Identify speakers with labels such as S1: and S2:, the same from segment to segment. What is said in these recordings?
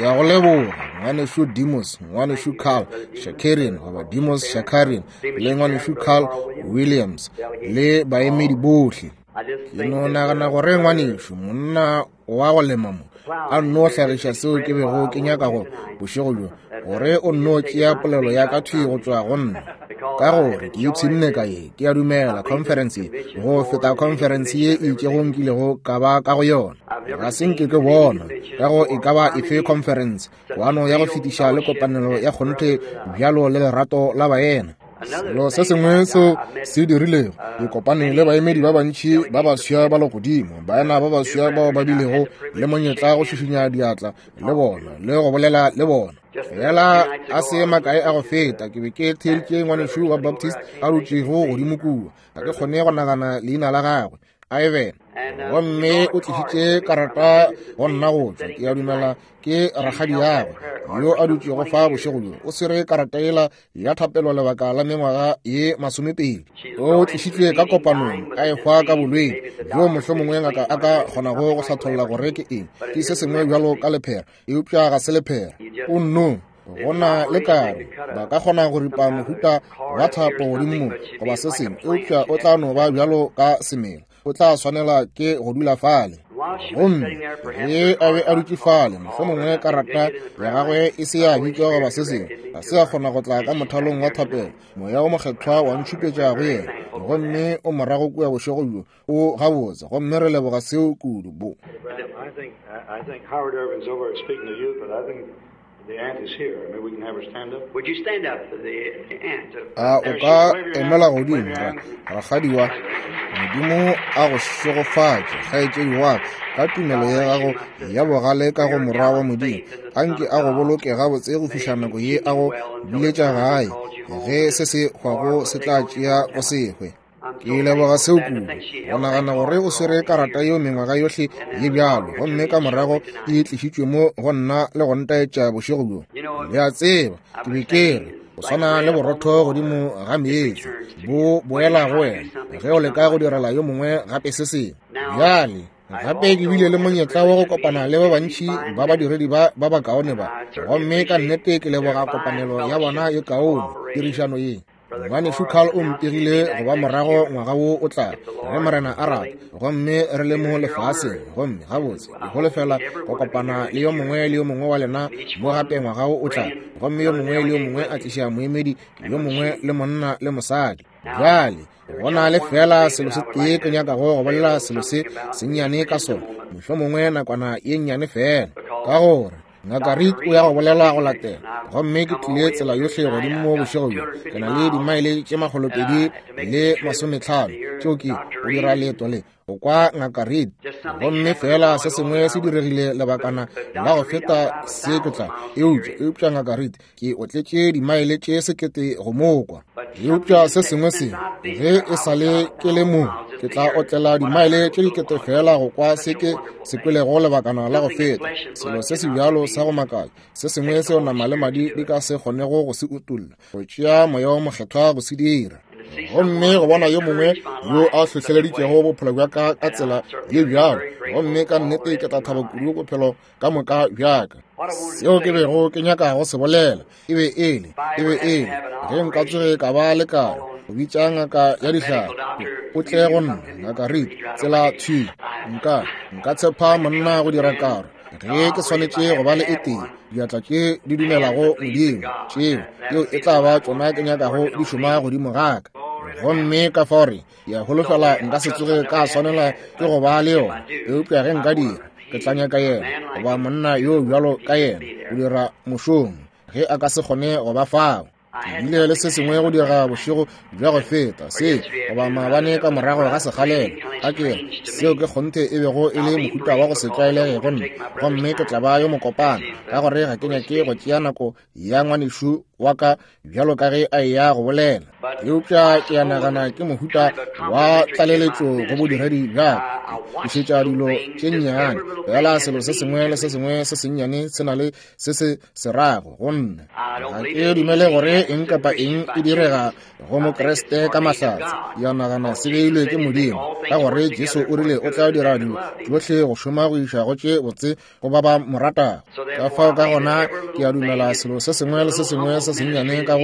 S1: Ya go leboga, Ngwanešu Demos, Ngwanešu Carl Shakarian, goba Demos Shakarian, le Ngwanešu Carl Williams, le baemedi bohle. Ke no nagana gore ngwanešu, monna wa go lema mo, a nno hlagiša seo ke bego ke nyaka go bošego bjo, gore o nno tšea polelo ya ka thwi go tšwa go nna. Ka gore ke ipshinne ka ye, ke a dumela, conference ye, go feta conference ye e itšego nkilego ka ba ka go yona. Ga se nke ke bona ka go e ka ba efe conference, kwano ya go fetiša le kopanelo ya kgonthe bjalo le lerato la baena. Selo se sengwe seo se dirilego, ke kopane le baemedi ba bantši ba baswa ba legodimo, baena ba baswa bao ba bilego le monyetla go šišinya diatla le bona le go bolela le bona. Fela a se makae a go feta, ke be ke theeditše ngwanešu wa Baptist a dutšego godimo kua. Ga ke kgone go nagana leina la gagwe, Ivan. Gomme o tlišitše karata go nna go tšwa, ke a dumela ke rakgadi yagwe yo a dutšego fa bošego bjo. O swere karata yela ya thapelo lebaka la mengwaga ye masomepedi. O tlišitšwe ka kopanong a ehwa ka bolwetši bjo mohlomongwe ngaka a ka kgonago go hlatholla gore ke eng, ke se sengwe bjalo ka lephera, eupša ga se lephera. O nno go na le karo, ba ka kgona go ripa mohuta wa thapo godimo mo goba se sengwe, eupša o tla no ba bjalo ka semela, o tla swanela ke go dula fale. Gomme ge a be a dutše fale, mohlomongwe karata ya gagwe e se ya bitšwa goba se sengwe, ga se a kgona go tla ka mothalong wa thapelo. Moya wo Mokgethwa wa ntšhupetša go yena, gomme o morago kua bošego bjo, o gabotse, gomme re leboga seo kudu. Bo.
S2: I think Howard Irving's over speaking to you, but I think the aunt is here. Maybe we can have her stand up.
S3: Would you stand up for the aunt?
S1: A o ka emela godimo, rakgadi wa Modimo a go šegofatše, kgaetšedi wa ka, ka tumelo ya gago ya bogale ka go Morwa wa Modimo. Anke a go boloke gabotse go fihla nako ye a go biletša gae, ge se se hwago se tla tšea go se hwe. Ke leboga seo kudu, go nagana gore o swere karata yeo mengwaga yohle ye bjalo, gomme ka morago e tlišitšwe mo go nna le go ntaetša bošego bjo. Le a tseba, ke be ke re, go swana le borotho godimo ga meetse, bo boela go wena ge o leka go direla yo mongwe gape se sengwe. Bjale, gape ke bile le monyetla wa go kopana le ba bantši ba badiredi ba ba bakaone ba, gomme ka nnete ke leboga kopanelo ya bona ye kaone, tirišano ye. Ngwanešu Carl o mpegile go ba morago ngwaga wo o tla, ge Morena a rata, gomme re le mo lefaseng. Gomme gabotse ke holofela go kopana le yo mongwe le yo mongwe wa lena mo gape ngwaga wo o tla, gomme yo mongwe le yo mongwe a tliša moemedi yo mongwe le monna le mosadi. Bjale, go na le fela selo se tee ke nyakago go bolela selo se sennyane ka sona, mohlomongwe nakwana ye nnyane fela, ka gore Ngaka Reed o ya go bolela go latela. Gomme ke tlile tsela yohle godimo mo bošego bjo, ke na le dimaele tše 250 tšeo ke go dira leeto le go kwa Ngaka Reed. Gomme fela se sengwe se diregile lebakana la go feta se ke tla, eupša, eupša Ngaka Reed ke otletše dimaele tše 1000 go mo kwa. Eupša se sengwe se, ge e sa le ke le mo, ke tla otlela dimaele tše dikete fela go kwa se ke se kwelego lebakana la go feta. Selo se se bjalo sa go makatša, se sengwe seo nama le madi di ka se kgonego go se utolla, go tšea Moya wo Mokgethwa go se dira. Gomme go bona yo mongwe yo a hlohleleditšego bophelo bja ka ka tsela ye bjalo, gomme ka nnete ke tla thaba kudu bophelo ka moka bja ka. Seo ke bego ke nyaka go se bolela e be e le, e be e le, ge nka tsoge ka ba le karo, go bitša ngaka ya dihlare, o tle go nna, Ngaka Reed, tsela thwi. Nka, nka tshepa monna go dira karo, ge ke swanetše go ba le e tee, diatla tše di dumelago Modimo, tšeo, yeo e tla ba tšona ke nyakago di šoma godimo ga ka. Gomme ka fao re, ke a holofela nka se tsoge ka swanela ke go ba le yona, eupša ge nka dira, ke tla nyaka yena goba monna yo bjalo ka yena go dira mošomo ge a ka se kgone go ba fao. Ke bile le se sengwe go dira bošego bja go feta se, goba maabane ka morago ga sekgalela, a ke re, seo ke kgonthe e bego e le mohuta wa go se tlwaelege go nna, gomme ke tla ba yo mokopana ka gore ga ke nyake go tšea nako ya ngwanešu wa ka bjalo ka ge a eya go bolela. Eupša ke a nagana ke mohuta wa tlaleletšo go bodiredi bja ka. Ke šetša dilo tše nnyane, fela selo se sengwe le se sengwe se sennyane se na le se se se rago go nna. Ga ke dumele gore eng kapa eng e direga go Mokriste ka mahlatse. Ke a nagana se beilwe ke Modimo, ka gore Jesu o rile o tla dira dilo tšohle go šoma go iša go tše botse go ba ba mo ratago. Ka fao ka gona ke a dumela selo se sengwe le se sengwe se sennyane ka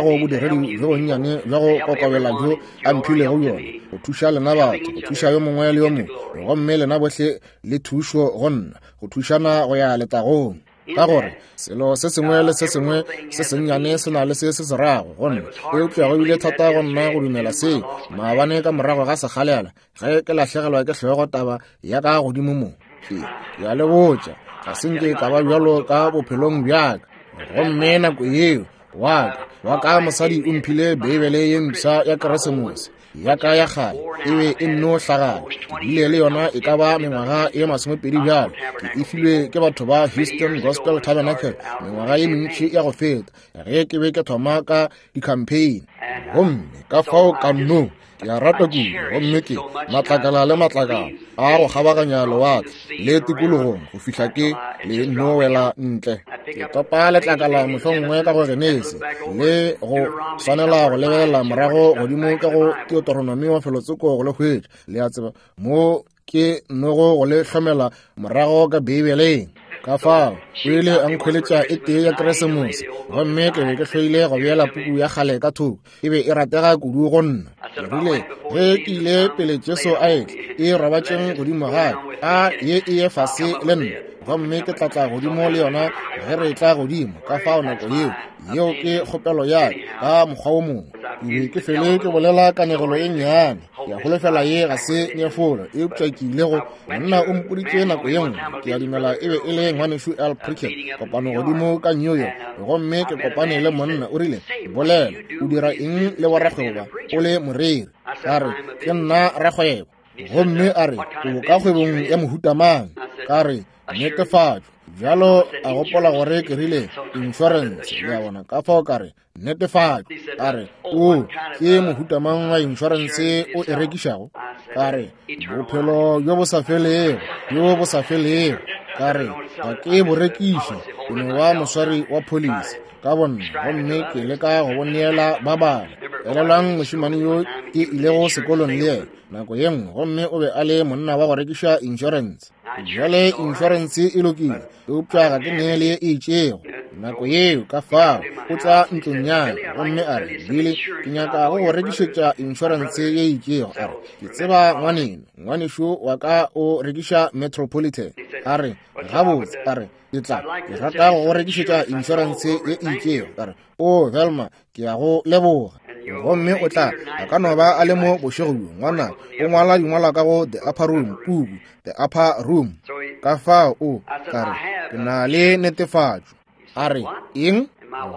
S1: go bodiredi bjo bonnyane bja go kokobela bjo a mphilego bjona, go thuša lena batho, go thuša yo mongwe le yo mongwe, gomme lena bohle le thušo go nna, go thušana go ya letagong. Ka gore selo se sengwe le se sengwe se sennyane se na le se se se rago go nna. Eupša go bile thata go nna go dumela seo maabane ka morago ga sekgalela ge ke lahlegelwa ke hlogo taba ya ka godimo mo. Ke a le botša, ga se nke ka ba bjalo ka bophelong bja ka. Gomme nako yeo wa ka mosadi o mphile Beibele ye mpsha ya Keresemose. Ya ka ya kgale e be e nno hlagala. Ke bile le yona e ka ba mengwaga e 20 bjalo. Ke e filwe ke batho ba Houston Gospel Tabernacle mengwaga ye mentši ya go feta ge ke be ke thoma ka di-campaign. Gomme ka fao ka nno ke a rata kudu, gomme ke matlakala le matlakala a go kgabaganya lewatle le tikologong go fihla ke le nno wela ntle. Ke topa letlakala mohlomongwe ka go Genesi le go swanela go lebelela morago godimo ka go Deuteronomy wa felotsoko go le hwetša, le a tseba, mo ke nogo go le hlomela morago ka Beibeleng. Ka fao o ile a nkhweletša e tee ya Keresemose, gomme ke be ke hloile go beela puku ya kgale ka thoko, e be e ratega kudu go nna. Ke rile ge ke ile pele Jesu a etla, e robatšeng godimo ga ka, a ye e ye fase le nna, gomme ke tla tla godimo le yona ge re tla godimo. Ka fao nako yeo, yeo ke kgopelo ya ka ka mokgwa wo mongwe. Ke be ke fele ke bolela kanegelo e nnyane. Ke a holofela ye ga se nyefolo, eupša ke ile go monna o mpoditše nako ye nngwe, ke a dumela e be e le ngwanešu Al Prickett, kopano godimo ka New York, gomme ke kopane le monna, o rile, Bolela, o dira eng le borakgwebo ba, o le moreri? Ka re, Ke nna rakgwebo. Gomme a re, O ka kgwebong ya mohuta mang? Ka re, Netefatšo. Bjalo a gopola gore ke rile insurance, le a bona. Ka fao ka re, Netefatšo. A re, O ke mohuta mang wa insurance o e rekišago? Ka re, Bophelo bjo bo sa felego, bjo bo sa felego. Ka re, Ga ke bo rekiše, ke no ba moswari wa pholisi ka bonna, gomme ke leka go bo neela ba bangwe. Elelwang mošemane yo ke ilego sekolong le yena nako ye nngwe, gomme o be a le monna wa go rekiša insurance. Bjale insurance e lokile, eupša ga ke neele ye e itšego nako yeo. Ka fao o tla ntlong ya ka gomme a re, Billy, ke nyaka go go rekišetša insurance ye e itšego. A re, Ke tseba ngwaneno, ngwanešo wa ka o rekiša Metropolitan. A re, Gabotse, a re, ke tla, ke rata go go rekišetša insurance ye e itšego. Ka re, O Velma, ke ya go leboga. Gomme o tla, a ka no ba a le mo bošego bjo, ngwana o ngwala dingwalwa ka go The Upper Room, puku The Upper Room. Ka fao o, ka re, ke na le netefatšo. A re, Eng?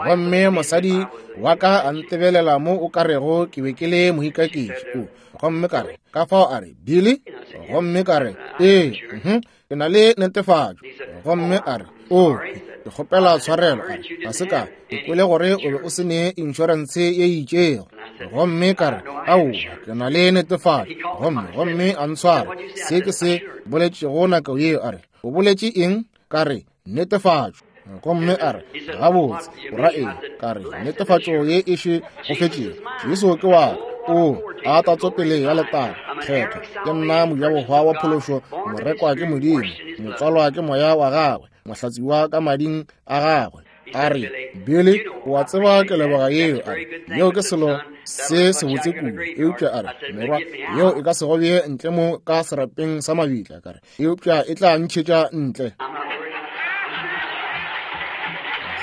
S1: Gomme mosadi wa ka a ntebelela mo o ka rego ke be ke le moikaketši. O, gomme ka re, ka fao a re, Billy? Gomme ka re, Ee, ke na le netefatšo. Gomme a re, O, ke kgopela tshwarelo, a re, ga se ka ke kwele gore o be o se ne inšorense ye e itšego. Gomme ka re, Aowa, ke na le netefatšo. Gomme a ntshwara se ke se boletšego nako yeo. A re, O boletše eng? Ka re, Netefatšo. Gomme a re, Gabotse, o ra eng? Ka re, Netefatšo ye e še go fetšego, Jesu ke wa ka. O a tatso pele ya letago kgetho, ke nna mojabohwa wa phološo, morekwa ke Modimo, motswalwa ke moya wa gagwe, mohlatsiwa ka mading a gagwe. A re, Billy, o a tseba ke leboga yeo. A re, Yeo ke selo se sebotse kudu. Eupša a re, Morwa, yeo e ka se go bee ntle mo ka serapeng sa mabitla. Ka re, Eupša e tla ntšhetša ntle.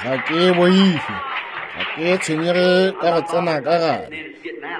S1: Ga ke boife, ga ke tshwenyege ka go tsena ka gare,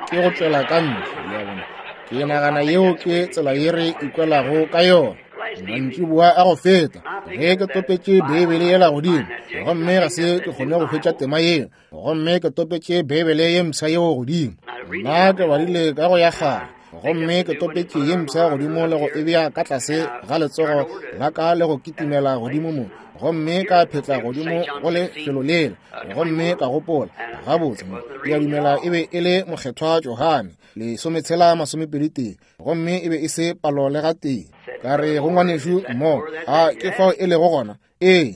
S1: ke go tšwela ka ntle. Le a bona? Ke nagana yeo ke tsela ye re ikwelago ka yona. Mantšiboa a go feta ge ke topetše Beibele yela godimo, gomme ga se ke kgone go hwetša tema yeo, gomme ke topetše Beibele ye mpsha yeo godimo. Nna ke badile ka go ya kgale. Gomme ke topetše ye mpsha godimo le go e bea ka tlase ga letsogo la ka le go kitimela godimo mo, gomme ka phetla godimo go lefelo lela. Gomme ka gopola, gabotse mo, ke a dumela e be e le Mokgethwa Johane, 16:21, gomme e be e se palo le gatee. Ka re go ngwanešu mo, a ke fao e lego gona? Ee.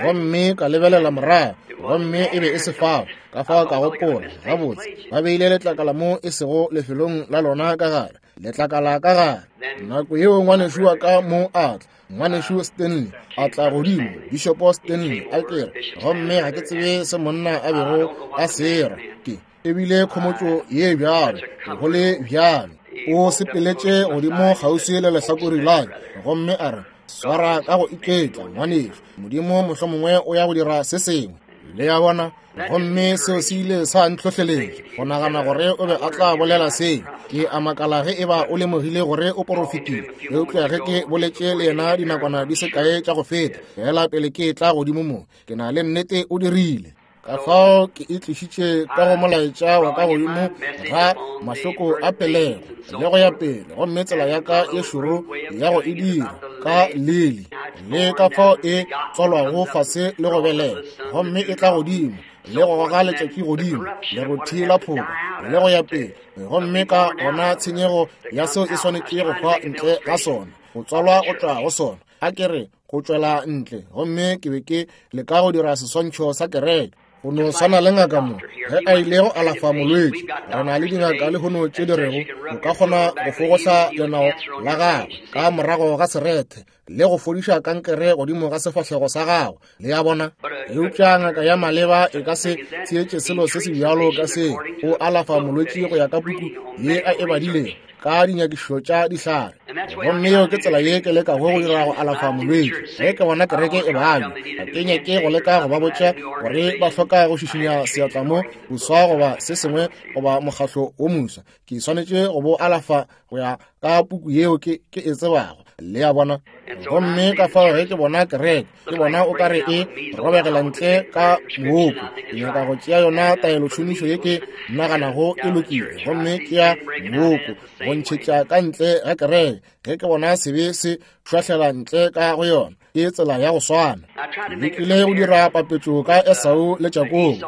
S1: Gomme ka lebelela morago, gomme e be e se fao. Ka fao ka gopola, gabotse, ba beile letlakala mo e sego lefelong la lona ka gare, letlakala ka gare. Nako yeo ngwanešu wa ka mo a tla, ngwanešu Stanley a tla godimo, Bishopo Stanley a kere, gomme ga ke tsebe se monna a bego a se ra. Ke ebile khomotšo ye bjalo, go le bjalo. O sepeletše godimo kgauswi le lehlakori la ka, gomme a re, swara ka go iketla, ngwanešu, Modimo mohlomongwe o ya go dira se sengwe. Le a bona? Gomme seo se ile sa ntlhohleletša go nagana gore o be a tla bolela seo. Ke a makala ge eba o lemogile gore o porofetile. Eupša ge ke boletše le yena dinakwana di se kae tša go feta, fela pele ke tla godimo mo, ke na le nnete o dirile. Ka fao ke e tlišitše ka go molaetša wa ka godimo ga mahloko a pelego le go ya pele, gomme tsela ya ka ye šoro ya go e dira ka lili, le ka fao e tswalwago fase le go belega, gomme e tla godimo le go goga letšatši godimo, lerothi la phoka le go ya pele, gomme ka gona tshenyego ya seo e swanetše go hwa ntle ga sona, go tswalwa go tšwa go sona. A ke re go tšwela ntle, gomme ke be ke leka go dira seswantšho sa kereke. Go no swana le ngaka mo, ge a ile go alafa molwetši. Re na le dingaka lehono tše di rego o ka kgona go fogohla lenao la gagwe ka morago ga serethe le go fodiša kankere godimo ga sefahlego sa gagwe. Le a bona? Eupša ngaka ya maleba e ka se theetše selo se se bjalo ka seo. O alafa molwetši go ya ka puku ye a e badilego, ka dinyakišo tša dihlare. Gomme yeo ke tsela ye ke lekago go dira go alafa molwetši. Ge ke bona kereke e babja, ga ke nyake go leka go ba botša gore ba hloka go šišinya seatla mo boswa goba se sengwe goba mokgahlo wo moswa. Ke swanetše go bo alafa go ya ka puku yeo ke e tsebago. Le a bona? Gomme ka fao ge ke bona kereke, ke bona o ka re e robegela ntle ka mooko. Ke nyaka go tšea yona taelotšhomišo ye ke naganago e lokile, gomme ke ya mooko go ntšhetša ka ntle ga kereke. Ge ke bona sebe se šwahlela ntle ka go yona, ke tsela ya go swana. Ke lekile go dira papetšo ka Esau le Jakobo,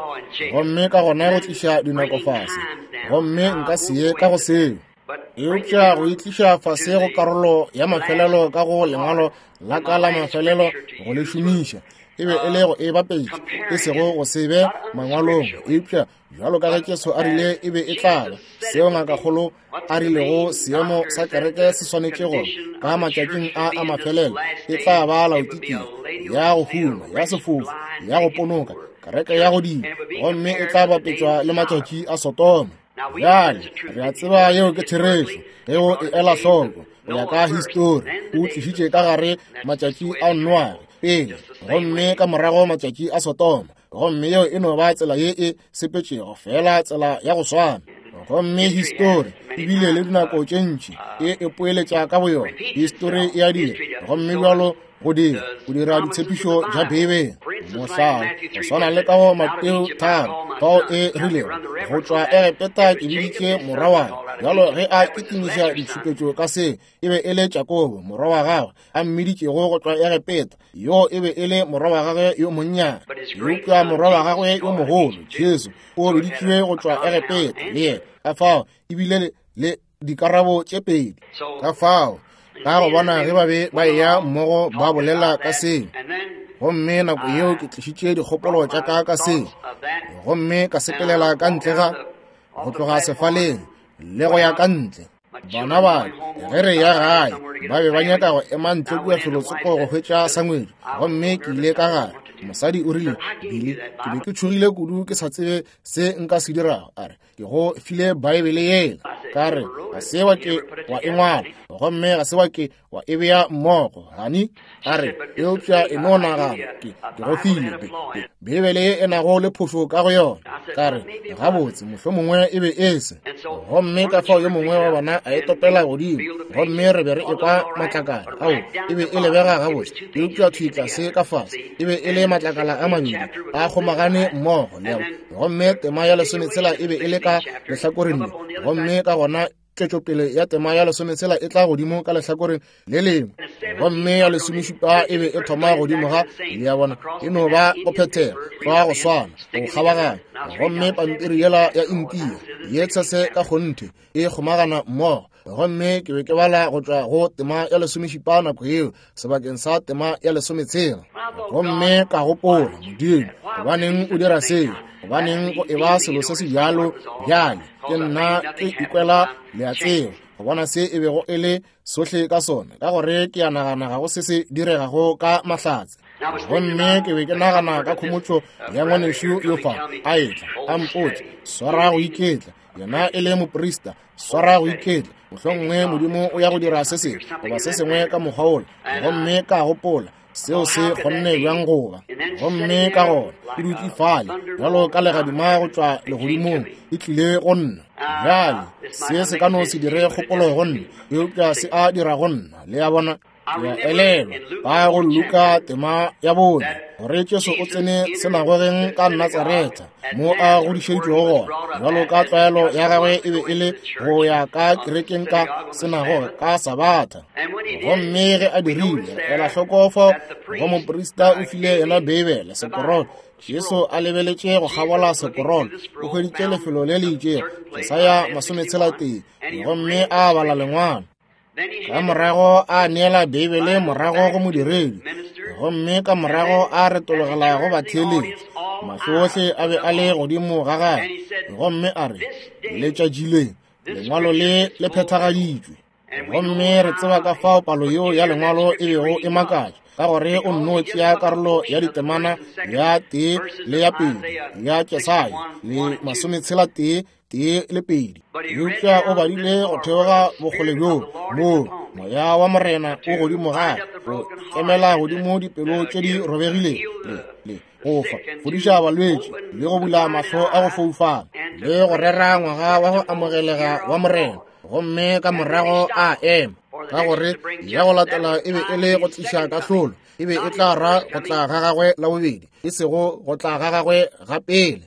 S1: gomme ka gona go tliša dinako fase, gomme nka se ye ka go seo. Eupša go itliša fase go karolo ya mafelelo ka go lengwalo la ka la mafelelo go le šomiša, e be e le go e bapetša, e sego go se be mangwalong, eupša bjalo ka ge Jesu a rile e be e tla ba, seo ngakakgolo a rilego seemo sa kereke se swanetše go ka matšatšing a a mafelelo e tla ba Laodikia ya go huma, ya sefofu, ya go ponoka, kereke ya godimo, gomme e tla bapetšwa le matšatši a Sodoma. Bjale re a tseba yeo ke therešo ge o e ela hloko go ya ka histori. O tlišitše ka gare matšatši a Noage pele, gomme ka morago matšatši a Sodoma, gomme yeo e no ba tsela ye e sepetšego, fela tsela ya go swana. Gomme histori e bile le dinako tše ntši e ipoeletša ka boyona. Histori e a dira, gomme bjalo go dira go dira ditshepišo tša Beibele. Mohlala, go swana le ka go Mateo 3, fao e rilego, go tšwa Egepeta ke biditše morwa wa ka. Bjalo ge a kitimiša ditšhupetšo ka se, e be e le Jakobo morwa wa gagwe a mmiditšego go tšwa Egepeta, yo e be e le morwa wa gagwe yo monnyane. Eupša morwa wa gagwe yo mogolo, Jesu, o biditšwe go tšwa Egepeta le yena. Ka fao e bile le dikarabo tše pedi. Ka fao ka go bona ge ba be ba eya mmogo ba bolela ka seo, gomme nako yeo ke tlišitše dikgopolo tša ka ka seo, gomme ka sepelela ka ntle ga go tloga sefaleng le go ya ka ntle. Bana ba ge re ya gae ba be ba nyaka go ema ntle kua felotsoko go hwetša sangwedi, gomme ke ile ka gare. Mosadi o rile, Billy, ke be ke tšhogile kudu ke sa tsebe se nka se dirago. A re, ke go file Baebele yela. Ka re, ga se wa ke wa e ngwala, gomme ga se wa ke wa e bea mmogo, hani. A re, eupša e no nagana, ke go file Beibele ye e nago le phošo ka go yona. Ka re, gabotse, mohlomongwe e be e se. Gomme ka fao yo mongwe wa bona a e topela godimo, gomme re be re ekwa matlakala ao, e be e lebega gabotse, eupša thwi tlase ka fase e be e le matlakala a mabedi a kgomagane mmogo, le gomme tema ya 16 e be e le ka lehlakoreng le, gomme ka gona tšwetšopele ya tema ya 16 e tla godimo ka lehlakoreng le lengwe, gomme ya 17 e be e thoma godimo ga, le a bona, e no ba go phethega tlwa go swana go kgabaganya. Gomme pampiri yela ya Intia ye tshese ka kgonthe e kgomagana mmogo. Gomme ke be ke bala go tšwa go tema ya 17 nako yeo sebakeng sa tema ya 16. Gomme ka gopola, Modimo, gobaneng o dira seo? Gobaneng go eba selo se se bjalo bjale? Ke nna ke ikwela, le a tseba, go bona se e bego e le sohle ka sona, ka gore ke a nagana ga go se se diregago ka mahlatse. Gomme ke be ke nagana ka khomotšo ya ngwanešu yo fa a etla a mpotša, swara go iketla, yena e le moprista, swara go iketla, mohlomongwe Modimo o ya go dira se sengwe goba se sengwe ka mokgwa wola. Gomme ka gopola, seo se kgonne bjang go ba? Gomme ka gona ke dutše fale bjalo ka legadima go tšwa legodimong e tlile go nna. Bjale se se ka no se dire kgopolo go nna, eupša se a dira go nna, le a bona. Ke a elelwa ba go Luka tema ya 4 gore Jesu o tsene senagogeng ka Natsaretha mo a godišeditšwego gona, bjalo ka tlwaelo ya gagwe e be e le go ya ka kerekeng ka senagoge ka Sabatha. Gomme ge a dirile, ela hloko fao go moprista o file yena Beibele, sekorolo. Jesu a lebeletše go kgabola sekorolo, o hweditše lefelo le le itšego, Jesaya 61, gomme a bala lengwalo. Ka morago a neela Beibele morago go modiredi, gomme ka morago a retologela go batheeletši. Mahlo ohle a be a le godimo ga gagwe, gomme a re, Letšatši le, lengwalo le le phethagaditšwe. Gomme re tseba ka fao palo yeo ya lengwalo e bego e makatša, ka gore o nno tšea karolo ya ditemana ya 1 le ya 2 ya Jesaya le 61 1 le 2. Eupša o badile go theoga bokgole bjoo moo moya wa Morena o godimo ga go emela godimo dipelo tše di robegilego le go fa fodiša balwetši le go bula mahlo a go foufala le go rera ngwaga wa go amogelega wa Morena. Gomme ka morago a ema, ka gore ya go latela e be e le go tliša kahlolo, e be e tla ra go tla ga gagwe la bobedi, e sego go tla ga gagwe ga pele.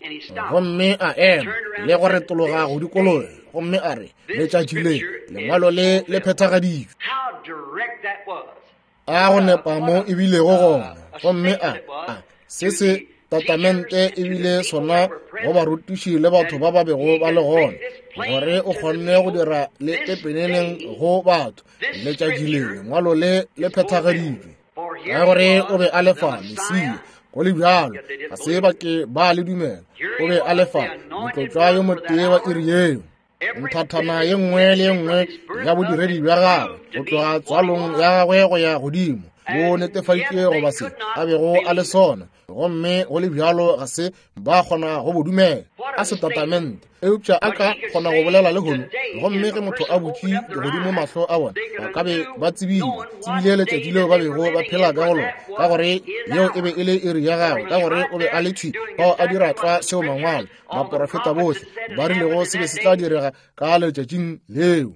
S1: Gomme a ema le go retologa go dikologa, gomme a re, Letšatši le, lengwalo le le phethagaditšwe. A go nepa mo e bilego gona. Gomme a se se tatamente e bile sona go barutiši le batho ba ba bego ba le gona, gore o kgonne go dira le pepeneneng go batho, letšatši le lengwalo le le phethagaditšwe. Ka gore o be a le fa Mesia, go le bjalo ga se ba ke ba le dumela. O be a le fa motlotšwa yo motee wa iri yeo. Nthathana ye nngwe le ye nngwe ya bodiredi bja gagwe go tloga tswalong ya gagwe go ya godimo bo netefaditše goba se a bego a le sona, gomme go le bjalo ga se ba kgona go bo dumela. A setatamente, eupša a ka kgona go bolela lehono. Gomme ge motho a butše godimo mahlo a bona, ba ka be ba tsebile letšatši leo ba bego ba phela ka go lona, ka gore yeo e be e le iri ya gagwe, ka gore o be a le thwi fao a dira tlwa seo mangwalo baporofeta bohle ba rilego se be se tla direga ka letšatšing leo.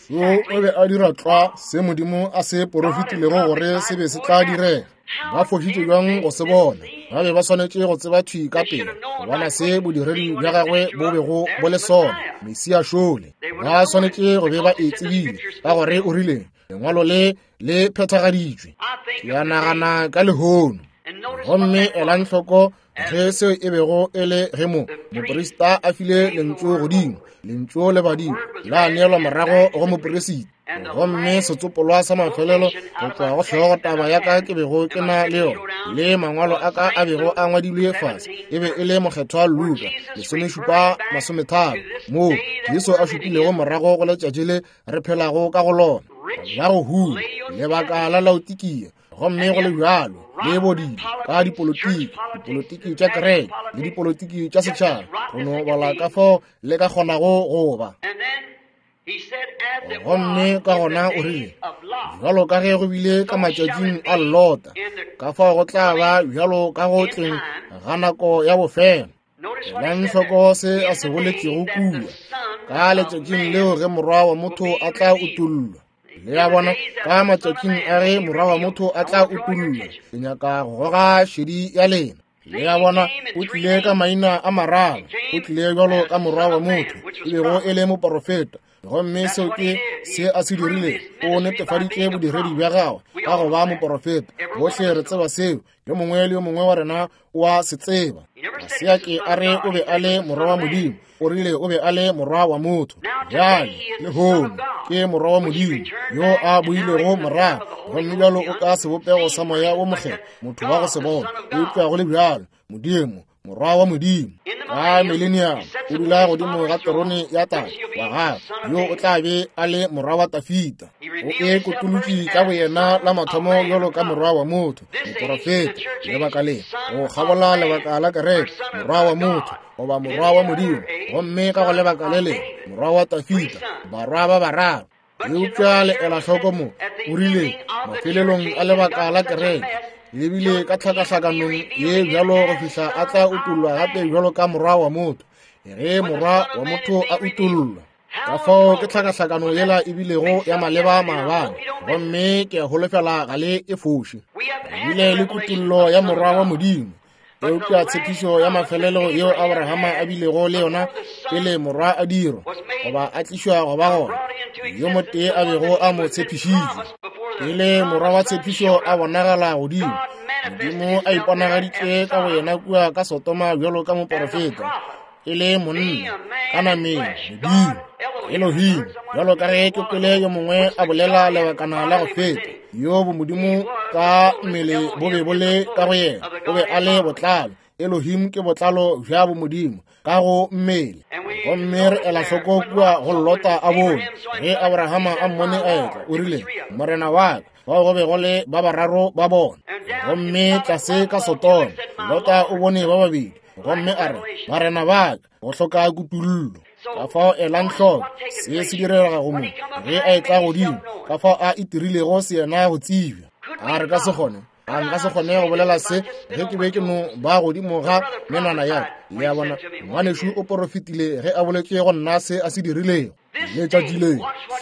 S1: So o be a dira tlwa se Modimo a se porofetilego gore se be se tla direga. Ba fošitše bjang go se bona? Ba be ba swanetše go tseba thwi ka pele go bona se bodiredi bja gagwe bo bego bo le sona, Mesia šole. Ba swanetše go be ba e tsebile, ka gore o rile lengwalo le le phethagaditšwe. Ke a nagana ka lehono. Gomme elang hloko ge seo e bego e le ge mo moprista a file lentšu godimo, lentšu le badimo la neelwa morago go mopresita. Gomme setsopolwa sa mafelelo go tšwa go hlogo taba ya ka ke bego ke na le yona le mangwalo a ka a bego a ngwadilwe fase e be e le mokgethwa Luka 17:30, moo Jesu a šupilego morago go letšatši le re phelago ka go lona la go huma, lebaka la Laodikia. Gomme go le bjalo le bodile ka dipolotiki, dipolotiki tša kereke le dipolotiki tša setšhaba, go no bala ka fao le ka kgonago go ba. Gomme ka gona o rile, bjalo ka ge go bile ka matšatšing a Lota, ka fao go tla ba bjalo ka go tleng ga nako ya bofelo. Elang hloko se a se boletšego kua, ka letšatšing leo ge Morwa wa motho a tla utollwa. Le a bona, ka matšatšing a ge Morwa wa motho a tla utollwa. Ke nyaka go goga šedi ya lena. Le a bona, o tlile ka maina a mararo. O tlile bjalo ka morwa wa motho, e bego e le moporofeta. Gomme seo ke se a se dirilego. O netefaditše bodiredi bja gagwe ka go ba moporofeta. Bohle re tseba seo. Yo mongwe le yo mongwe wa rena o a se tseba. Ga se a ke a re o be a le morwa wa Modimo. O rile o be a le morwa wa motho. Bjale, lehono, ke morwa wa Modimo yo a boilego morago. Gomme bjalo o ka sebopego sa moya wo mokgethwa, motho wa go se bona. Eupša go le bjalo, Modimo, morwa wa Modimo, ka millennium, o dula godimo ga terone ya Tate wa gagwe, yo o tla be a le morwa wa Tafita. O e kotolotše ka boyena la mathomo bjalo ka morwa wa motho, moporofeta, lebaka le go kgabola lebaka la kereke, morwa wa motho goba morwa wa Modimo, gomme ka go lebaka le lengwe morwa wa Tafita, barwa ba bararo. Eupša le ela hloko mo, o rile mafelelong a lebaka la kereke, le bile ka tlhakahlakanong ye bjalo go fihla a tla utollwa gape bjalo ka morwa wa motho. Ge morwa wa motho a utollwa, ka fao ke tlhakahlakano yela e bilego ya maleba maabane, gomme ke a holofela ga le e foše. Re bile le kutollo ya morwa wa Modimo, eupša tshepišo ya mafelelo yeo Abrahama a bilego le yona pele morwa a dirwa goba a tlišwa go ba gona, yo motee a bego a mo tshepišitše pele morwa wa tshepišo a bonagala godimo, Modimo a iponagaditše ka go yena kua ka Sodoma bjalo ka moporofeta, e le monna ka nameng, Modimo Elohim, bjalo ka ge ke kwele yo mongwe a bolela lebakana la go feta, yo bomodimo ka mmele bo be bo le ka go yena, o be a le botlalo. Elohim ke botlalo bja bomodimo ka go mmele. Gomme re ela hloko kua go Lota a bone, ge Abrahama a mmone a etla, o rile, Morena wa ka, bao go be go le ba bararo ba bona. Gomme tlase ka Sodoma, Lota o bone ba babedi, gomme a re, Barena ba ka, go hloka kutollo. Ka fao elang hloko se se direga go mo ge a etla godimo, ka fao a itirilego se yena go tsebja. A re ka se kgone, a nka se kgone go bolela se ge ke be ke no ba godimo ga menwana ya ka. Le a bona, ngwanešu o porofetile ge a boletše go nna se a se dirilego letšatši le.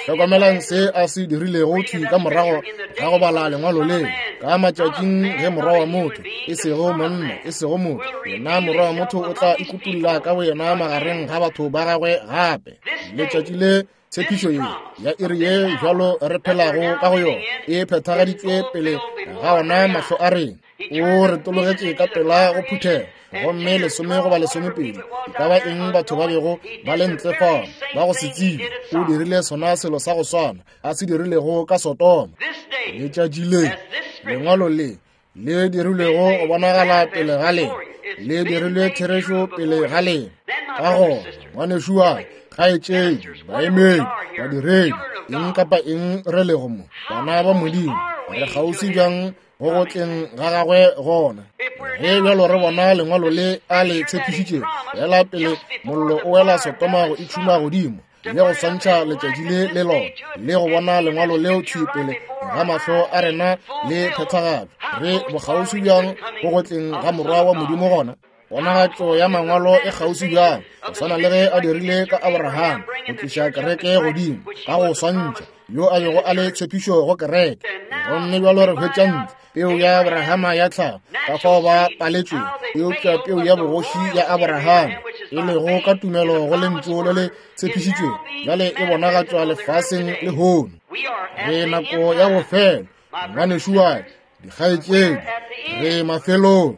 S1: Hlokomelang se a se dirilego thwi ka morago ga go bala lengwalo le. Ka matšatšing ge morwa wa motho, e sego monna, e sego motho, yena morwa wa motho o tla ikutulla ka boyena magareng ga batho ba gagwe gape. Letšatši le, tshepišo ye ya iri ye bjalo re phelago ka go yona e phethagaditšwe pele ga ona mahlo a rena. O re tologetše ka pela go phuthego, gomme 10 goba 12, e ka ba eng batho ba bego ba le ntle fao ba go se tsebe, o dirile sona selo sa go swana a se dirilego ka Sodoma. Letšatši le, lengwalo le le dirilwego go bonagala pele ga lena, le dirilwe therešo pele ga lena. Ka gona, ngwanešu wa kgaetšedi, baemedi, badiredi, eng kapa eng re lego mo, bana ba Modimo, re kgauswi bjang go go tleng ga gagwe gona. Ge bjalo re bona lengwalo le a le tshepišitšego, fela pele mollo o wela Sodoma go itšhuma godimo, le go swantšha letšatši le le lona, le go bona lengwalo leo thwi pele ga mahlo a rena le phethagatšwa, re bokgauswi bjang go go tleng ga morwa wa Modimo gona. Ponagatšo ya mangwalo e kgauswi bjang, go swana le ge a dirile ka Abraham, go tliša kereke godimo ka go swantšha yo a bego a le tshepišo go kereke. Gomme bjalo re hwetša ntle peu ya Abrahama ya tlhago, ka fao ba paletšwe, eupša peu ya bogoši ya Abrahama, e lego ka tumelo go lentšu le le tshepišitšwego, bjale e bonagatšwa lefaseng lehono. Re nako ya bofelo, ngwanešu wa ka, dikgaetšedi, re mafelong.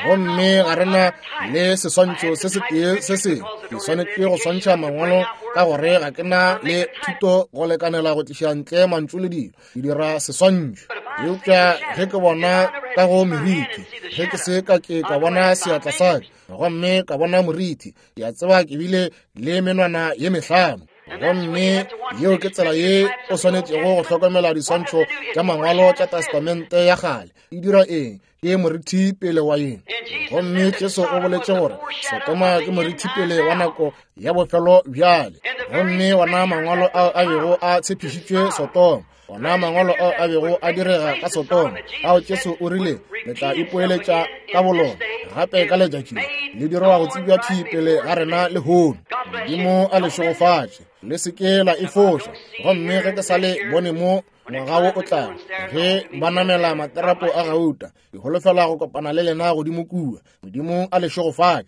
S1: Gomme ga re na le seswantšho se setee se sengwe. Ke swanetše go swantšha mangwalo ka gore ga ke na le thuto go lekanela go tliša ntle mantšu le dilo, ke dira seswantšho. Eupša ge ke bona ka go meriti, ge ke se ka ke ka bona seatla sa ka, gomme ka bona moriti, ke a tseba ke bile le menwana ye mehlano. Gomme yeo ke tsela ye o swanetšego go hlokomela diswantšho tša mangwalo tša Testamente ya kgale. E dira eng? Ke morithi pele wa eng? Gomme Jesu o boletše gore Sodoma ke morithi pele wa nako ya bofelo bjale. Gomme ona mangwalo ao a bego a tshepišitšwe Sodoma, ona mangwalo ao a bego a direga ka Sodoma, ao Jesu o rile le tla ipoeletša ka bolona gape ka letšatši le dirwa go tsebja thwi pele ga rena lehono. Modimo a le šegofatše, le se ke la e foša. Gomme ge ke sa le bone mo Ngwaga wo o tlago, ge ba namela materapo a gauta, ke holofela go kopana le lena godimo kua. Modimo a le šegofatše.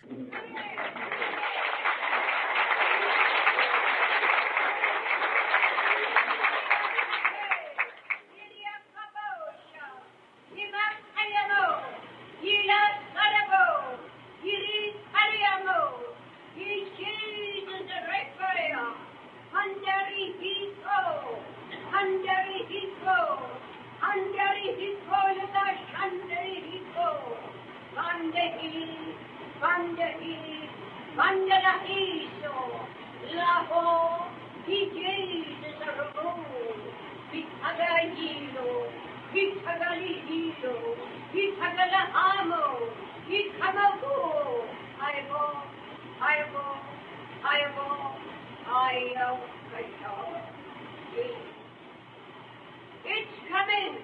S4: It's coming!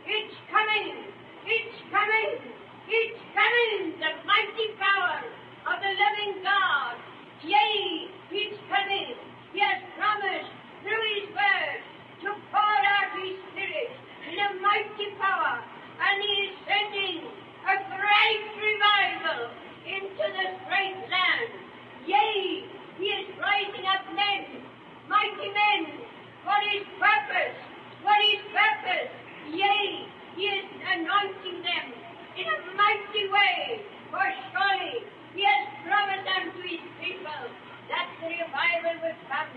S4: It's coming! It's coming! It's coming! The mighty power of the living God! Yea, it's coming! He has promised through His word to pour out His Spirit in a mighty power, and He is sending a great revival into this great land. Yea, He is rising up men, mighty men, for His purpose. For His purpose. Yea, He is anointing them in a mighty way. For surely He has promised unto His people that the revival will come,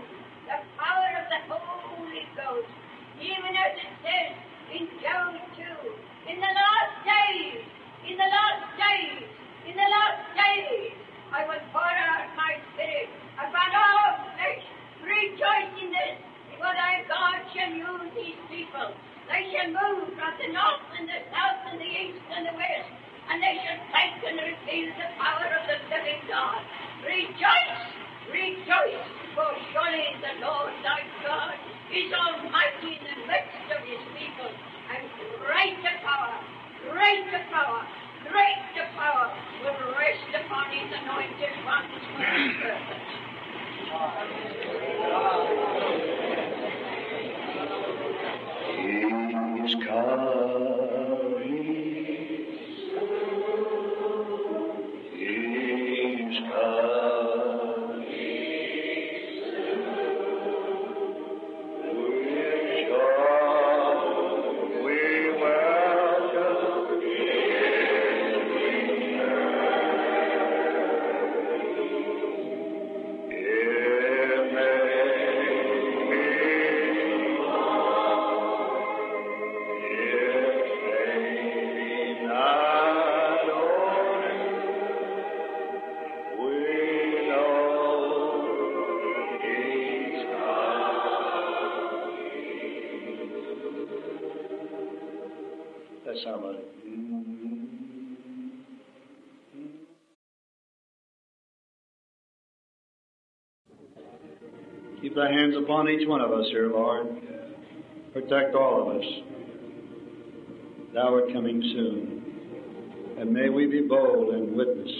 S4: the power of the Holy Ghost. Even as it says in Joel 2, in the last days, in the last days, in the last days, I will pour out my Spirit upon all flesh. Rejoice in this, for thy God shall use His people. They shall move from the north and the south and the east and the west, and they shall take and reveal the power of the living God. Rejoice, rejoice, for surely the Lord thy God is almighty in the midst of His people, and greater power, greater power, greater power will rest upon His anointed ones for His purpose.
S2: He's coming. He's coming. With joy we welcome It may be That's how much. Keep thy hands upon each one of us here, Lord. Protect all of us. Thou art coming soon. And may we be bold and witness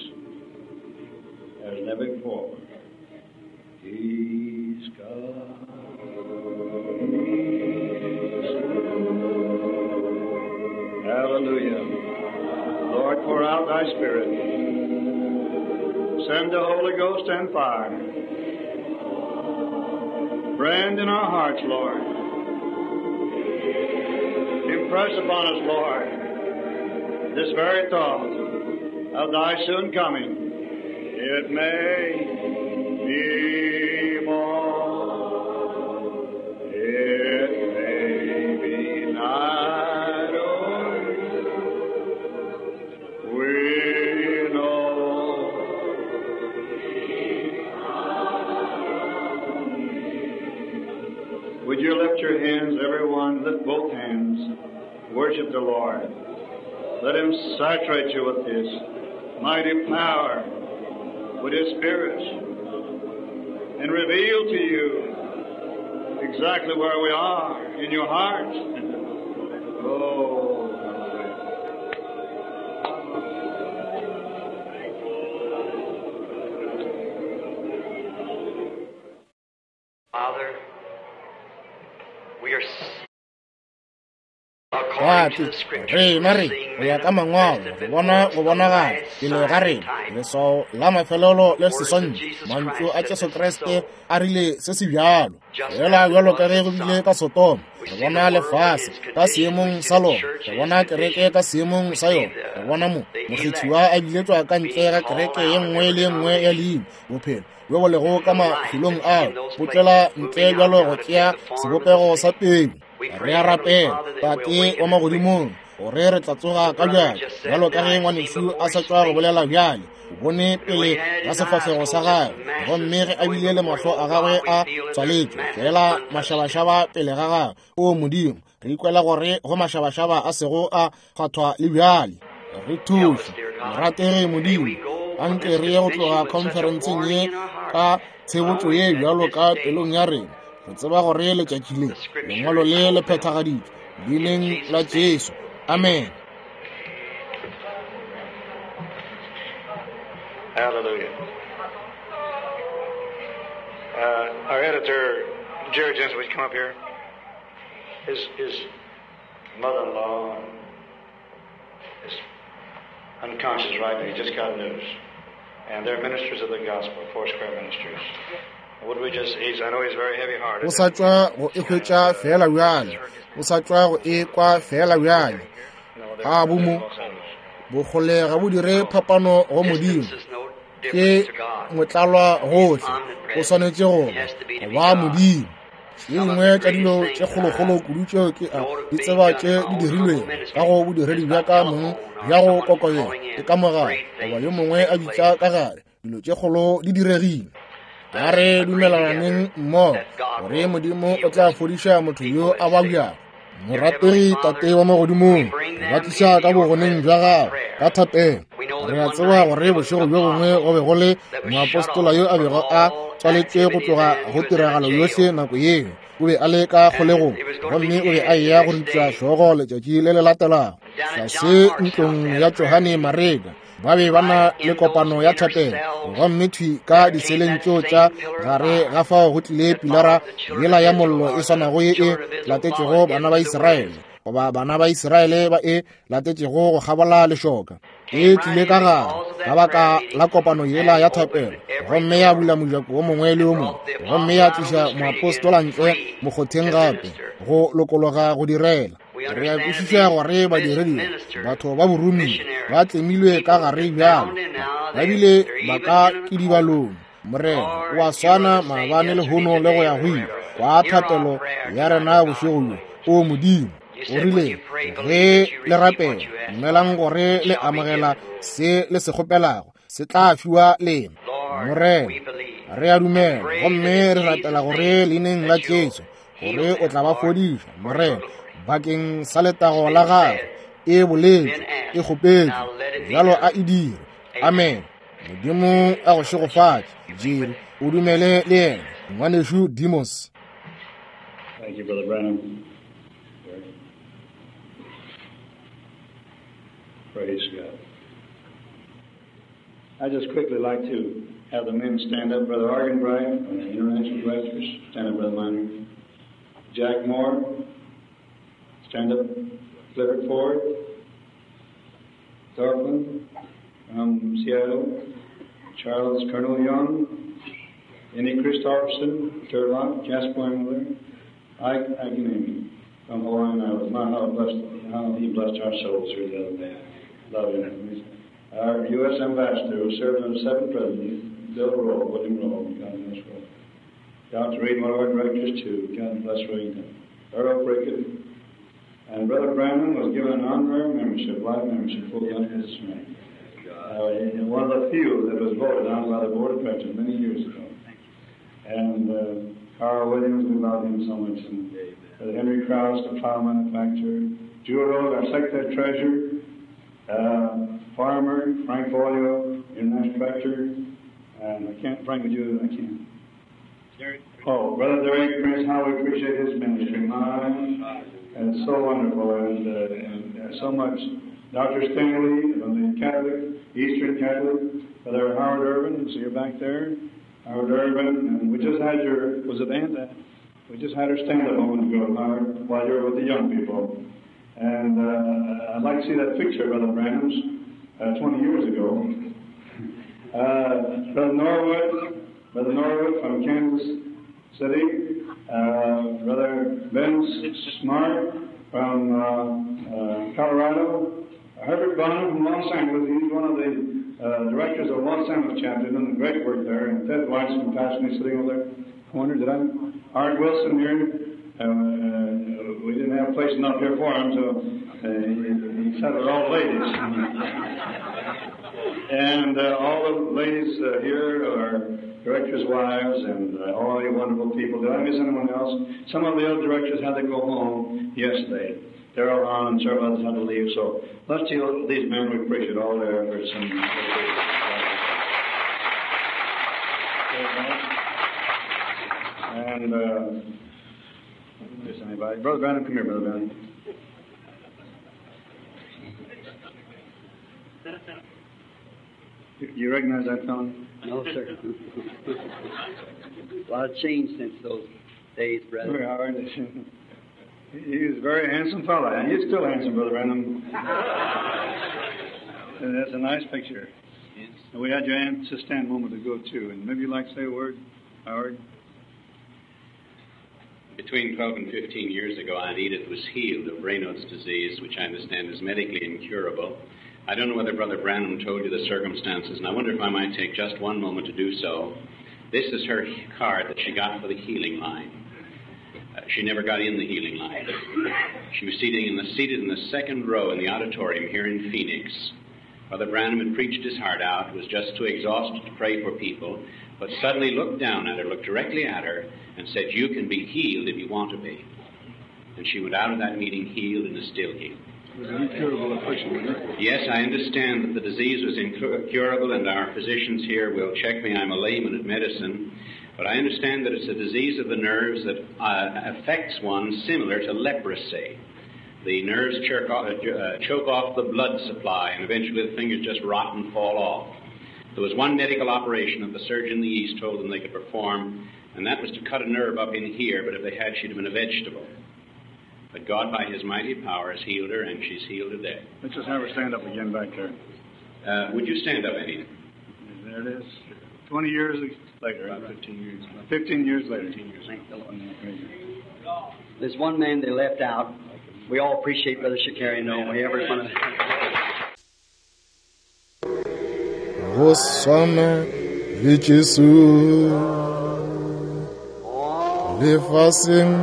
S2: as never before. He's coming soon. Hallelujah. Lord, pour out thy Spirit. Send the Holy Ghost and fire. Brand in our hearts, Lord. Impress upon us, Lord, this very thought of thy soon coming. It may be more, it may be night or we know. Would you lift your hands, everyone? Lift both hands. Worship the Lord. Let Him saturate you with His mighty power, with His Spirit, and reveal to you exactly where we are in your heart. Oh,
S3: Father, we are
S1: Tate, rena re go ya ka Mangwalo re bona go bonagala pele ga rena leswao la mafelelo le seswantšho. Mantšu a Jesu Kriste a rile se se bjalo. Fela bjalo ka ge go bile ka Sodoma, re bona lefase ka seemong sa lona, re bona kereke ka seemong sa yona, re bona mo mokgethiwa a biletšwa ka ntle ga kereke ye nngwe le ye nngwe ya leina. Bophelo bjo bo lego ka mafelong ao bo tšwela ntle bjalo go tšea sebopego sa peu. Re a rapela, Tate wa magodimong, gore re tla tsoga ka bjale, bjalo ka ge ngwanešu a sa tšwa go bolela bjale. O bone pele ga sefahlego sa gagwe, gomme ge a bile le mahlo a gagwe a tswaletšwe, fela mašabašaba pele ga gagwe. O Modimo, re ikwela gore go mašabašaba a sego a kgwathwa le bjale. Re thuše, morategi Modimo, anke re ye go tloga khonferenseng ye ka tshebotšo ye bjalo ka pelong ya rena. Re tseba gore letšatši le lengwalo le le phethagaditšwe leineng la Jesu. Amen.
S2: Hallelujah. Our editor, Jerry Jensen, would you come up here? His mother-in-law is unconscious right now. He just got news. And they're ministers of the gospel, Foursquare ministers. Would we just, I know he's very heavy-hearted.
S1: O sa tšwa go e hwetša fela bjale. O sa tšwa go e kwa fela bjale. A bo mo bokgole ga bo dire phapano go Modimo. Ke motlalwa gohle. O swanetše go ba Modimo. Tše dingwe tša dilo tše kgolokgolo kudu tšeo ke a di tseba tše di dirilwego ka go bodiredi bja ka mong bja go kokobela ke ka mogala goba yo mongwe a bitša ka gare. Dilo tše kgolo di diregile. A re dumelelaneng mmogo gore Modimo o tla fodiša motho yo a babjago. Morategi Tate wa magodimong, re ba tliša ka bogoneng bja gago ka thapelo. Re a tseba gore bošego bjo bongwe go be go le moapostola yo a bego a tswaletšwe go tloga go tiragalo yohle nako yeo. O be a le ka kgolegong gomme o be a eya go ripša hlogo letšatši le le latelago. Tlase ntlong ya Johane Mareka ba be ba na le kopano ya thapelo, gomme thwi ka diseleng tšeo tša gare ga fao go tlile pilara yela ya mollo e swanago ye e latetšego bana ba Israele, goba bana ba Israele ba e latetšego go kgabola lešoka. E tlile ka gare ka baka la kopano yela ya thapelo, gomme ya bula mojako o mongwe le o mongwe, gomme ya tliša moapostola ntle mokgotheng gape go lokologa go direla. Re a kwešiša gore badiredi batho ba borumi ba tlemilwe ka gare bjalo, ba bile ba ka kidibalong. Morena o a swana maabane lehono le go ya go ile. Kwa thapelo ya rena bošego bjo, o Modimo. O rile ge le rapela, dumelang gore le amogela se le se kgopelago, se tla fiwa lena. Morena, re a dumela gomme re rapela gore leineng la Jesu gore o tla ba fodiša, Morena, bakeng sa letago la gagwe. E boletšwe, e kgopetšwe, bjalo a e dire. Amen. Modimo a go šegofatše, Jerry. O dumele le yena, ngwanešu Demos.
S2: Thank you, Brother Branham. Praise God. I just quickly like to have the men stand up. Brother Arganbright from the International Directors, stand up, Brother Miner. Jack Moore, stand up. Clifford Ford, Thorfinn from Seattle, Charles Colonel Young, Annie Christofferson, Turlock, Jasper Engler, Ike Akinemi from Hawaiian Islands. My, how he blessed our souls here the other day. Love him. Our U.S. Ambassador, who served under 7 presidents, Bill Rowe, William Rowe, God bless Rowe. Dr. Reed, one of our directors, too. God bless Reed. Earl Prickett. And Brother Branham was given an honorary membership, life membership, full under his name. One of the few that was voted on by the board of directors many years ago. And Carl Williams, we love him so much. And Brother Henry Krause, the plow manufacturer. Jewel Rose, our secretary treasurer. Farmer, Frank Folio, international director. And I can't, Frank, would you? I can't. Oh, Brother Derek Prince, how we appreciate his ministry. My, and it's so wonderful, and so much. Dr. Stanley from the Catholic, Eastern Catholic, Brother Howard Irvin, so you're back there. Howard Irvin, and we just had your, was it Aunt? We just had her stand up a moment ago, Howard, while you were with the young people. And I'd like to see that picture of Brother Branham's 20 years ago. Brother Norwood from Kansas City, Brother Ben Smart from Colorado, Herbert Bonham from Los Angeles. He's one of the directors of Los Angeles chapter, doing great work there. And Ted Weiss from Pasadena sitting over there. Corner, did I? Art Wilson here. We didn't have place enough here for him, so he sat with all the ladies. And all the ladies here are directors' wives and all the wonderful people. Did I miss anyone else? Some of the other directors had to go home yesterday. Darrell Hahn and several others had to leave. So let's see these men. We appreciate all their efforts. And miss anybody? Brother Branham, come here, Brother Branham. You recognize that fellow?
S3: No, sir. A lot of change since those days, brother.
S2: Howard. He was a very handsome fellow, and he's still handsome, Brother Branham. And that's a nice picture.
S5: Yes.
S2: And we had your aunt to stand a moment ago, too. And maybe you'd like to say a word, Howard?
S5: Between 12 and 15 years ago, Aunt Edith was healed of Raynaud's disease, which I understand is medically incurable. I don't know whether Brother Branham told you the circumstances, and I wonder if I might take just one moment to do so. This is her card that she got for the healing line. She never got in the healing line. She was seated in the second row in the auditorium here in Phoenix. Brother Branham had preached his heart out, was just too exhausted to pray for people, but suddenly looked down at her, looked directly at her, and said, "You can be healed if you want to be." And she went out of that meeting healed and is still healed.
S2: It was an incurable affliction, wasn't it?
S5: Yes, I understand that the disease was incurable, and our physicians here will check me. I'm a layman at medicine. But I understand that it's a disease of the nerves that affects one similar to leprosy. The nerves choke off the blood supply, and eventually the fingers just rot and fall off. There was one medical operation that the surgeon in the East told them they could perform, and that was to cut a nerve up in here, but if they had, she'd have been a vegetable. But God, by His mighty power, has healed her, and she's healed today.
S2: Let's just have her stand up again back there.
S5: Would you stand up, Eddie?
S2: There it is. 20 years later.
S5: About 15 years.
S2: 15 years later.
S5: 15 years.
S3: Thank the Lord. There's one man they left out. We all appreciate Brother Shakarian, don't we? Every one of
S1: Go swana le Jesu lefaseng,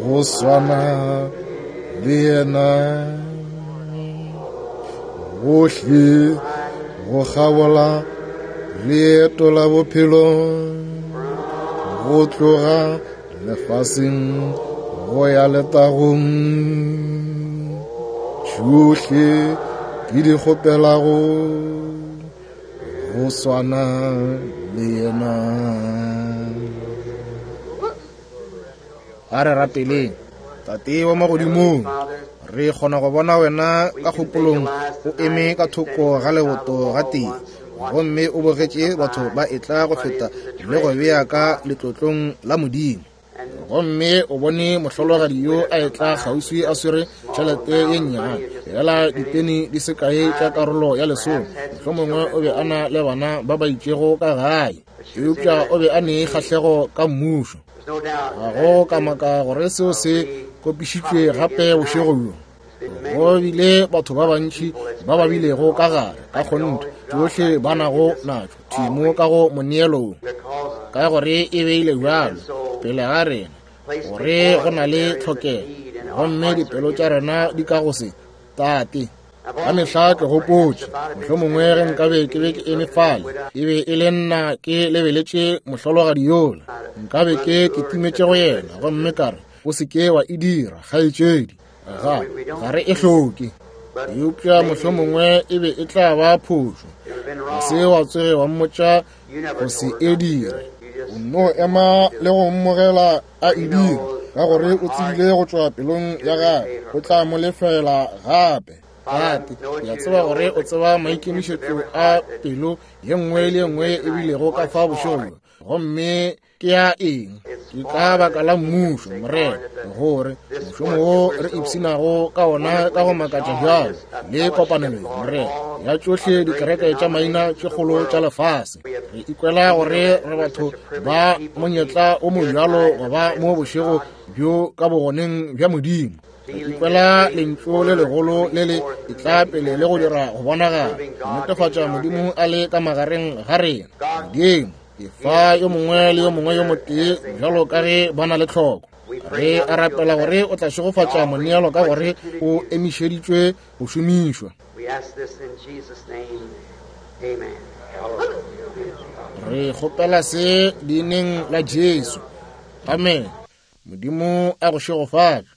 S1: go swana le yena, gohle go kgabola leeto la bophelo, go tloga lefaseng go ya letagong. Tšohle ke di kgopelago go swana le yena. A re rapeleng. Tate wa magodimong, re kgona go bona wena ka kgopolong o eme ka thoko ga leboto ga tee, gomme o bogetše batho ba etla go feta le go bea ka letlotlong la Modimo. Gomme o bone mohlologadi yo a etla kgauswi a swere tšhelete ye nnyane, fela dipeni di se kae tša karolo ya lesome. Mohlomongwe o be a na le bana ba ba itšego ka gae, eupša o be a ne kgahlego ka mmušo. Ga go ka maka gore seo se kopišitšwe gape bošego bjo. Go bile batho ba bantši ba ba bilego ka gare, ka kgonthe tšohle ba nago natšo thimo ka go moneelong, ka gore e beile bjalo pele ga rena gore go na le tlhokego, gomme dipelo tša rena di ka go se. Tate, ka mehla ke gopotše, mohlomongwe ge nkabe ke be ke eme fale, e be e le nna ke lebeletše mohlologadi yola, nkabe ke kitimetše go yena gomme ka re, o se ke wa e dira, kgaetšedi, ga re e hloke. Eupša mohlomongwe e be e tla ba phošo, ga se wa tsoge wa mmotša go se e dire. O nno ema le go mmogela a e dira, ka gore o tsebile go tšwa pelong ya gagwe o tla mo lefela gape. Tate, ke a tseba gore o tseba maikemišetšo a pelo ye nngwe le ye nngwe e bilego ka fa bošego bjo. Gomme ke ya eng? Ke ka baka la Mmušo, Morena, gore mošomo wo re ipshinago ka ona ka go makatša bjalo, le kopanelo ye, Morena, ya tšohle dikereke tša maina tše kgolo tša lefase. Re ikwela gore re batho ba monyetla o mobjalo go ba mo bošego bjo ka bogoneng bja Modimo. Re ikwela lentšu le legolo le le etla pele le go dira go bonagala, go netefatša Modimo a le ka magareng ga rena. Modimo, efa yo mongwe le yo mongwe yo motee bjalo ka ge ba na le tlhoko. Re a rapela gore o tla šegofatša moneelo ka gore o emišeditšwe go šomišwa. Re kgopela se leineng la Jesu. Amen. Modimo a go šegofatše.